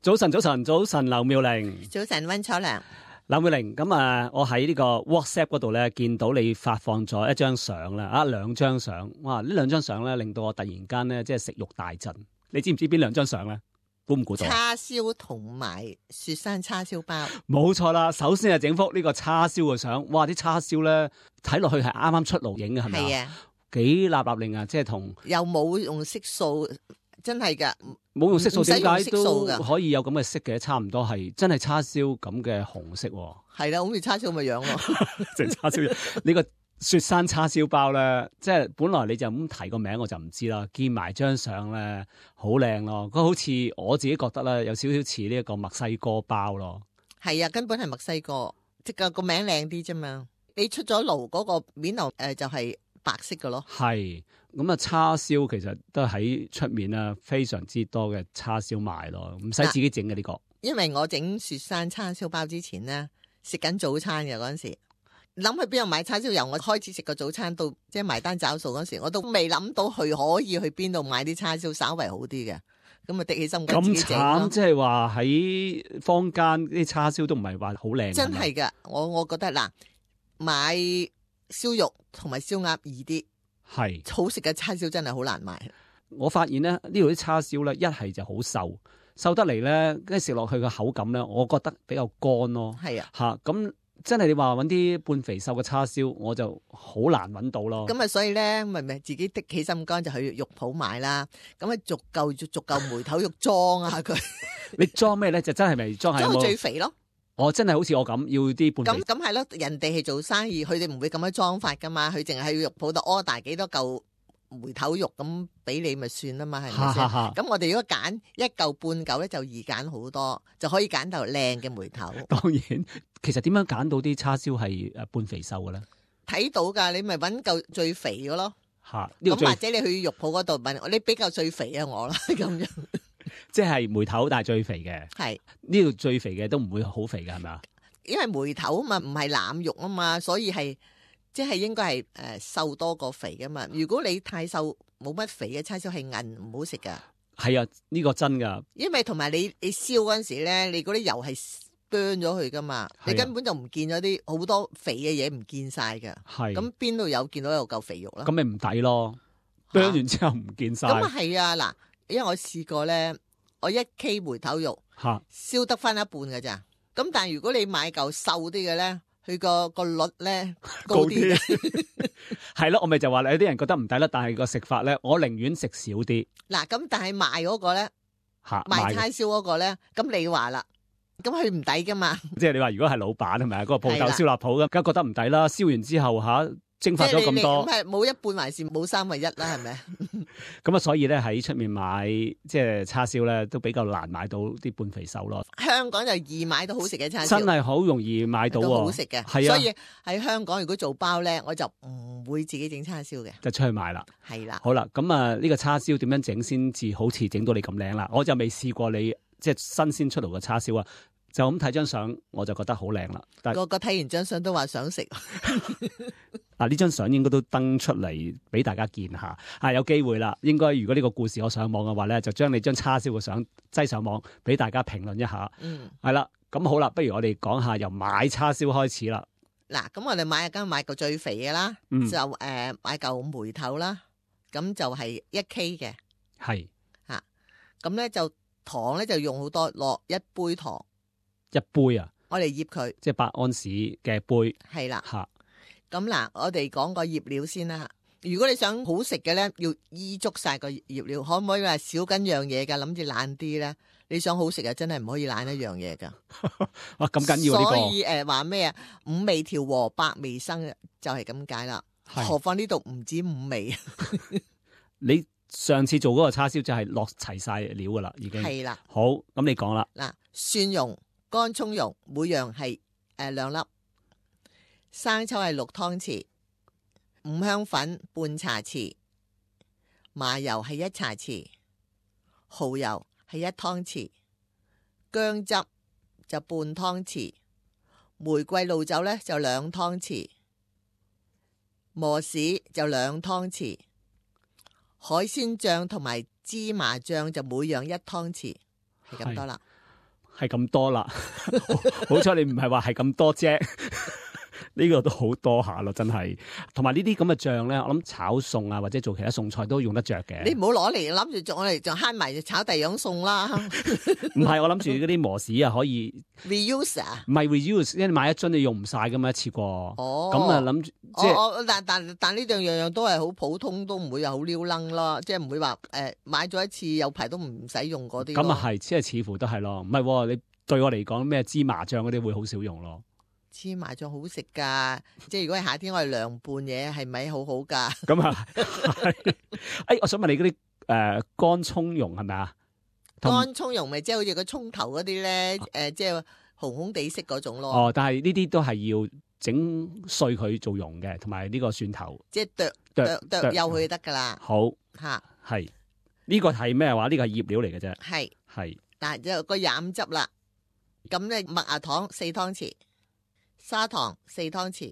早晨，劉妙玲。早晨，溫楚良。劉妙玲，咁我喺呢個 WhatsApp 嗰度咧，見到你發放咗一張相啦，兩張相，哇！呢兩張相咧，令到我突然間咧，即係食慾大振。你知唔知邊兩張相咧？估唔估到？叉燒同埋雪山叉燒包。冇錯啦，首先係整幅呢個叉燒嘅相，哇！啲叉燒咧睇落去係啱啱出爐影嘅，係咪啊？係啊，幾立令啊！即係同又冇用色素。真係噶，冇用色素，點解都可以有咁嘅色嘅？差唔多係真係叉燒咁嘅紅色。係啦，好似叉燒咁嘅樣咯。即係叉燒呢個雪山叉燒包咧，即係本來你就咁提個名我就唔知啦。見埋張相咧，好靚咯。佢好似我自己覺得咧，有少少似呢一個墨西哥包咯。係啊，根本係墨西哥，即係個名靚啲啫嘛。你出咗爐嗰個面頭就係白色嘅咯。係。咁啊，叉燒其實都喺出面啊，非常之多嘅叉燒賣咯，唔使自己整嘅呢個。因為我整雪山叉燒包之前咧，食緊早餐嘅嗰陣時，諗去邊度買叉燒，由我開始食個早餐到即係埋單找數嗰時，我都未諗到佢可以去邊度買啲叉燒稍為好啲嘅。咁啊，的起心肝自己整咯。咁慘，即係話喺坊間啲叉燒都唔係話好靚。真係噶，我覺得嗱，買燒肉同埋燒鴨易啲。係好食嘅叉燒真係好難買。我發現咧，呢度啲叉燒咧，一係就好瘦得嚟咧，跟住食落去嘅口感咧，我覺得比較乾咯。係啊，吓咁真係你話搵啲半肥瘦嘅叉燒，我就好難搵到咯。咁啊，所以咧咪自己的起心肝就去肉鋪買啦。咁啊，逐嚿梅頭肉裝下佢。你裝咩咧？就真係咪裝係最肥咯？我真係好似我咁要啲半肥。咁係咯，人哋係做生意，佢哋唔會咁樣裝法噶嘛，佢淨係去肉鋪度 order 幾多嚿梅頭肉咁俾你咪算啦嘛，係咪先？咁我哋如果揀一嚿半嚿咧，就易揀好多，就可以揀到靚嘅梅頭。當然，其實點樣揀到啲叉燒係半肥瘦嘅咧？睇到噶，你咪搵嚿最肥嘅咯。咁或者你去肉鋪嗰度問，你比較最肥啊我啦，咁樣。即係梅頭，但係最肥嘅。係呢度最肥嘅都唔會好肥㗎，係咪啊？因為梅頭嘛，唔係腩肉啊嘛，所以係即係應該係瘦多過肥㗎嘛。如果你太瘦，冇乜肥嘅叉燒係韌，唔好食㗎。係啊，呢個真㗎。因為同埋你燒嗰陣時咧，你嗰啲油係burn咗佢㗎嘛，你根本就唔見咗啲好多肥嘅嘢，唔見晒㗎。係咁邊度有見到有嚿肥肉啦？咁咪唔抵咯，burn完之後唔見晒。咁啊係啊嗱。因為我試過咧，我1 K 梅頭肉燒得翻一半㗎咋。咁但係如果你買嚿瘦啲嘅咧，佢個率咧高啲嘅。係咯，我咪就話有啲人覺得唔抵啦，但係個食法咧，我寧願食少啲。嗱，咁但係賣嗰個咧，賣叉燒嗰個咧，咁你話啦，咁佢唔抵噶嘛？即係你話如果係老闆係咪啊？嗰個鋪頭燒臘鋪咁，梗係覺得唔抵啦。燒完之後蒸發咗咁多，咁係冇一半還是冇1/3啦，係咪？咁啊，所以咧喺出面買即係叉燒咧，都比較難買到啲半肥瘦咯。香港就易買到好食嘅叉燒，真係好容易買到，都好食嘅。係啊，所以喺香港如果做包咧，我就唔會自己整叉燒嘅，就出去買啦。係啦，好啦，咁啊呢個叉燒點樣整先至好似整到你咁靚啦？我就未試過你即係新鮮出爐嘅叉燒啊。就咁睇張相，我就覺得好靚啦。個個睇完張相都話想食。嗱，呢張相應該都登出嚟俾大家見下。有機會啦。應該如果呢個故事我上網嘅話咧，就將你張叉燒嘅相擠上網俾大家評論一下。係啦，咁好啦，不如我哋講下由買叉燒開始啦。嗱，咁我哋買嚿最肥嘅啦，就買嚿梅頭啦，咁就係1 K 嘅。係嚇，咁咧就糖咧就用好多，落1杯糖。1杯啊！我哋醃佢，即係8安士嘅杯。係啦，吓咁嗱，我哋講個醃料先啦。如果你想好食嘅咧，要依足晒個醃料，可唔可以話少緊樣嘢噶？諗住懶啲咧，你想好食啊，真係唔可以懶一樣嘢噶。哇，咁緊要呢個？所以話咩啊？5味調和百味生，就係咁解啦。何況呢度唔止5味。你上次做嗰個叉燒就係落齊晒料噶啦，已經係啦。好，咁你講啦。嗱，蒜蓉。乾葱蓉每樣係2粒，生抽係6湯匙，五香粉半茶匙，麻油係1茶匙，蠔油係1湯匙，薑汁就半湯匙，玫瑰露酒咧就2湯匙，磨豉就2湯匙，海鮮醬同埋芝麻醬就每樣1湯匙，係咁多啦。係咁多啦。好彩你唔係話係咁多啫。呢個都好多下咯，真係。同埋呢啲咁嘅醬咧，我諗炒餸啊，或者做其他餸菜都用得着嘅。你唔好攞嚟諗住做，我哋就慳埋炒第二樣餸啦。唔係，我諗住嗰啲磨豉啊，可以 reuse 啊？唔係 reuse，因為買一樽你用唔晒㗎嘛，一次過。哦，咁啊諗住即係，但呢樣樣都係好普通，都唔會有好撩楞咯，即係唔會話買咗一次有排都唔使用嗰啲。咁啊係，即係似乎都係咯。唔係，你對我嚟講咩芝麻醬嗰啲會好少用咯。芝麻醬好食噶，即係如果係夏天我哋涼拌嘢，係咪好好噶？咁啊，我想問你嗰啲乾葱蓉係咪啊？乾葱蓉咪即係好似個葱頭嗰啲咧，即係紅紅地色嗰種咯。哦，但係呢啲都係要整碎佢做蓉嘅，同埋呢個蒜頭，即係剁幼佢就得噶啦。好吓，係呢個係咩話？呢個係醃料嚟嘅啫。係，嗱就個廿五汁啦。咁咧麥芽糖4湯匙。砂糖4湯匙，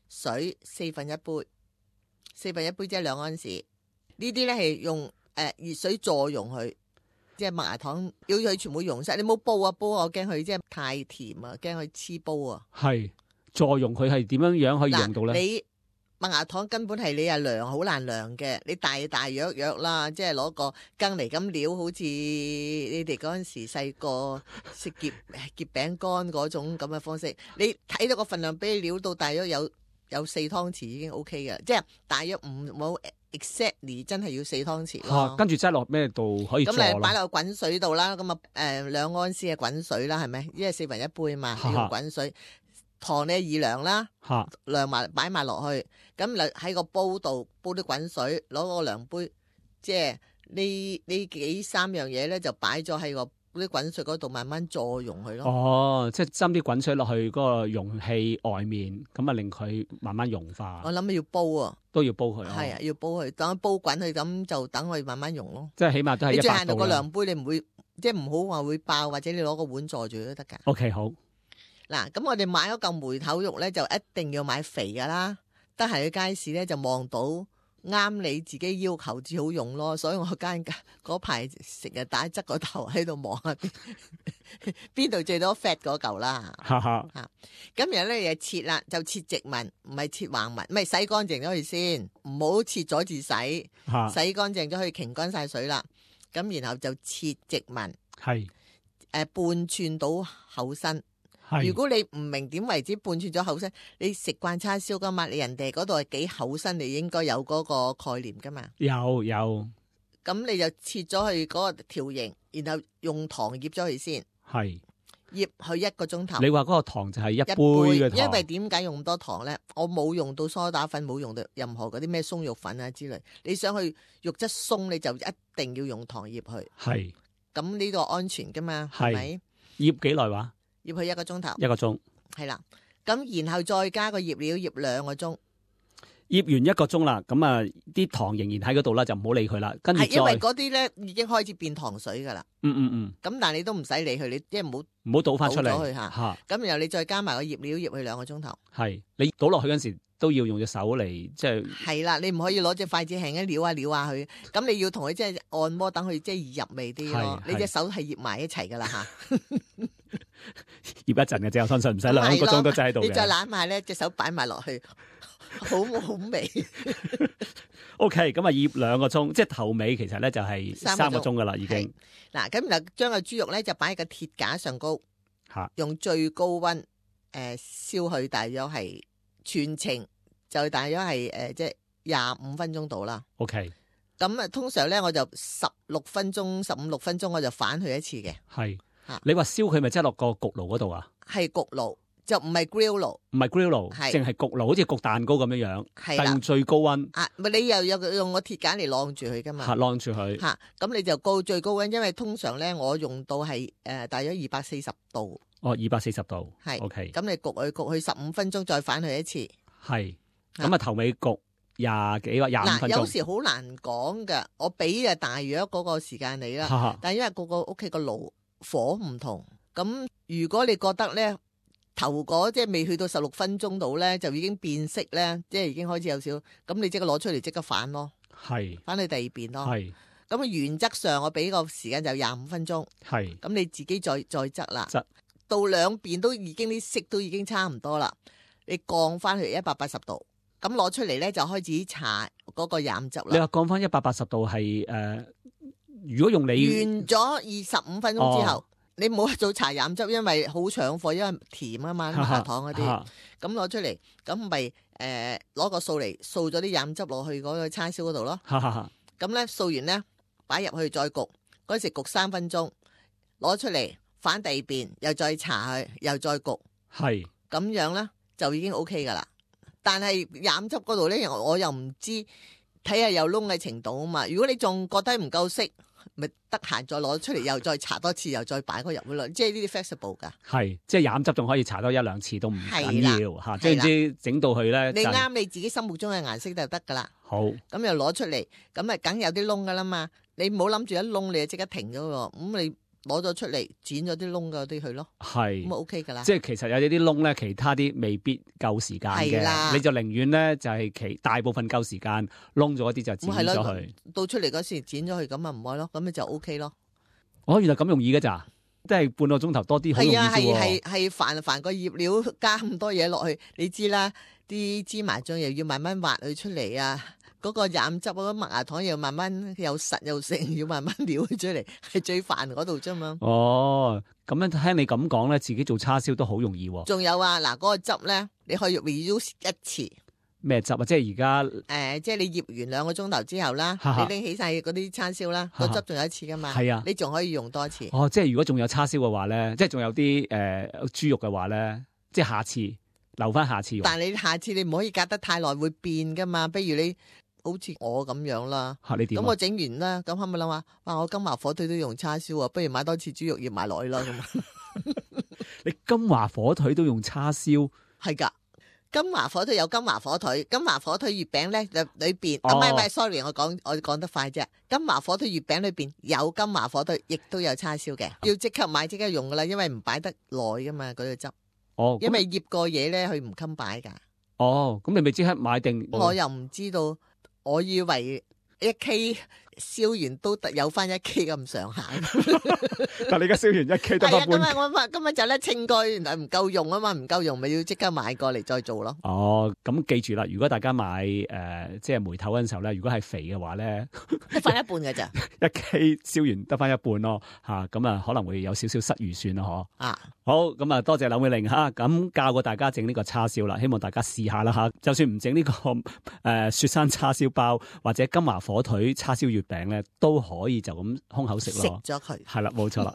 水1/4杯，1/4杯即係2安士。呢啲咧係用熱水助溶佢，即係麥芽糖要佢全部溶晒。你冇煲啊煲，我驚佢即係太甜啊，驚佢黐煲啊。係助溶佢係點樣可以溶到咧？你麥芽糖根本係你係量好難量嘅，你大約啦，即係攞個羹嚟咁料，好似你哋嗰陣時細個食夾餅乾嗰種咁嘅方式。你睇到個份量，俾你料到大約有4湯匙已經 OK 嘅，即係大約唔冇 exactly 真係要4湯匙咯。跟住擠落咩度可以助？咁你擺落滾水度啦，咁啊2安士嘅滾水啦，係咪？因為1/4杯嘛，要滾水。糖你宜量啦，量埋擺埋落去，咁你喺個煲度煲啲滾水，攞個量杯，即係呢幾3樣嘢咧，就擺咗喺個啲滾水嗰度，慢慢助溶佢咯。哦，即係斟啲滾水落去嗰個容器外面，咁啊令佢慢慢溶化。我諗要煲啊，都要煲佢。係啊，要煲佢，等煲滾佢，咁就等佢慢慢溶咯。即係起碼都係100度啦。你最限度個量杯，你唔會即係唔好話會爆，或者你攞個碗坐住都得噶。OK， 好。嗱，咁我哋買嗰嚿梅頭肉咧，就一定要買肥噶啦。得閒去街市咧，就望到啱你自己要求至好用咯。所以我嗰排成日打側個頭喺度望下邊度最多 fat 嗰嚿啦。咁然後咧就切啦，就切直紋，唔係切橫紋，唔係洗乾淨咗佢先，唔好切咗至洗，洗乾淨咗佢擎乾晒水啦。咁然後就切直紋，係半寸到厚身。如果你唔明點為之半寸咗厚身，你食慣叉燒噶嘛？你人哋嗰度係幾厚身，你應該有嗰個概念噶嘛？有。咁你就切咗佢嗰個條形，然後用糖醃咗佢先。係。醃佢1個鐘頭。你話嗰個糖就係一杯嘅糖。因為點解用咁多糖咧？我冇用到梳打粉，冇用到任何嗰啲咩鬆肉粉啊之類。你想去肉質鬆，你就一定要用糖醃佢。係。咁呢個安全噶嘛？係咪？醃幾耐話？醃佢1個鐘頭，1個鐘係啦，咁然後再加個醃料，醃2個鐘，醃完1個鐘啦，咁啊啲糖仍然喺嗰度啦，就唔好理佢啦。跟住因為嗰啲咧已經開始變糖水噶啦。咁但係你都唔使理佢，你即係唔好倒翻出嚟吓。咁然後你再加埋個醃料，醃佢2個鐘頭。係你倒落去嗰陣時都要用隻手嚟，即係係啦，你唔可以攞隻筷子輕輕撩下佢。咁你要同佢即係按摩，等佢即係入味啲咯。你隻手係醃埋一齊噶啦吓。醃一陣嘅啫，我相信唔使2個鐘都擠喺度嘅。你再攬埋咧，隻手擺埋落去，好味。OK， 咁啊醃2個鐘，即係頭尾其實咧就係3個鐘噶啦，已經。嗱，咁就將個豬肉咧就擺喺個鐵架上高，用最高溫燒佢，大約係全程就大約係即係25分鐘到啦。OK，咁啊通常咧我就15、16分鐘我就反佢一次嘅。係。你話燒佢咪即係落個焗爐嗰度啊？係焗爐，就唔係 grill 爐，唔係 grill 爐，淨係焗爐，好似焗蛋糕咁樣樣，但用最高溫。咪你又有用個鐵架嚟晾住佢噶嘛？晾住佢。咁你就高最高溫，因為通常咧我用到係大約240度。哦，240度。係。OK。咁你焗佢15分鐘，再反佢一次。係。咁啊頭尾焗20幾或25分鐘。有時好難講噶，我俾大約嗰個時間你啦。但係因為個屋企個爐火唔同，咁如果你覺得咧頭嗰即係未去到16分鐘度咧，就已經變色咧，即係已經開始有少，咁你即刻攞出嚟即刻反咯，係反去第二邊咯，係。咁啊原則上我俾個時間就25分鐘。係。咁你自己再側啦。側到兩邊都已經啲色都已經差唔多啦，你降翻去180度，咁攞出嚟咧就開始搽嗰個染汁啦。你話降翻180度係如果用你完咗25分鐘之後，你唔好做搽染汁，因為好搶貨，因為甜啊嘛，麥芽糖嗰啲。咁攞出嚟，咁咪攞個掃嚟掃咗啲染汁落去嗰個叉燒嗰度咯。咁咧掃完咧擺入去再焗，嗰時焗3分鐘，攞出嚟。反第二邊又再搽佢，又再焗，係咁樣咧就已經 OK 噶啦。但係染汁嗰度咧，我又唔知睇下有窿嘅程度啊嘛。如果你仲覺得唔夠色，咪得閒再攞出嚟，又再搽多次，又再擺嗰入去咯。即係呢啲 flexible 噶。係，即係染汁仲可以搽多1-2次都唔緊要嚇。即係唔知整到佢咧，你啱你自己心目中嘅顏色就得噶啦。好，咁又攞出嚟，咁啊梗有啲窿噶啦嘛。你唔好諗住一窿你就即刻停咗喎。咁你攞咗出嚟，剪咗啲窿嗰啲去咯，係咁 OK 噶啦。即係其實有啲窿咧，其他啲未必夠時間嘅，你就寧願咧就係其大部分夠時間，窿咗一啲就剪咗佢。到出嚟嗰時剪咗佢，咁啊唔愛咯，咁你就 OK 咯。哦，原來咁容易嘅咋？即係半個鐘頭多啲，好容易啫喎。係煩個醃料加咁多嘢落去，你知啦，啲芝麻醬又要慢慢挖佢出嚟啊。嗰個染汁嗰個麥芽糖又慢慢又實又成，要慢慢撩出嚟，係最煩嗰度啫嘛。哦，咁樣聽你咁講咧，自己做叉燒都好容易喎。仲有啊，嗱，嗰個汁咧，你可以 reuse 一次。咩汁啊？即係而家即係你醃完2個鐘頭之後啦，你拎起晒嗰啲叉燒啦，個汁仲有一次噶嘛。係啊，你仲可以用多一次。哦，即係如果仲有叉燒嘅話咧，即係仲有啲豬肉嘅話咧，即係下次留翻下次用。但係你下次你唔可以隔得太耐，會變噶嘛。不如你。好似我咁樣啦，咁我整完啦，咁可唔可以諗下？哇！我金華火腿都用叉燒啊，不如買多次豬肉醃埋落去啦咁。你金華火腿都用叉燒？係噶，金華火腿有金華火腿，金華火腿月餅咧裏邊，唔係 sorry， 我講得快啫。金華火腿月餅裏邊有金華火腿，亦都有叉燒嘅，要即刻買即刻用噶啦，因為唔擺得耐噶嘛嗰個汁。哦，因為醃過嘢咧，佢唔襟擺噶。哦，咁你咪即刻買定？我又唔知道。我以為1K 燒完都有翻1K 咁上下，但你而家燒完1K 得翻半。係啊，我今日就咧清過，原來唔夠用啊嘛，唔夠用咪要即刻買過嚟再做咯。哦，咁記住啦，如果大家買即係梅頭嗰陣時候咧，如果係肥嘅話咧，得翻一半嘅咋？1K 燒完得翻一半咯，吓咁啊可能會有少少失預算咯，嗬。啊，好，咁啊多謝柳美玲吓，咁教過大家整呢個叉燒啦，希望大家試下啦吓。就算唔整呢個雪山叉燒包或者金華火腿叉燒月餅咧，都可以就咁空口食咯。食咗佢，係啦，冇錯啦。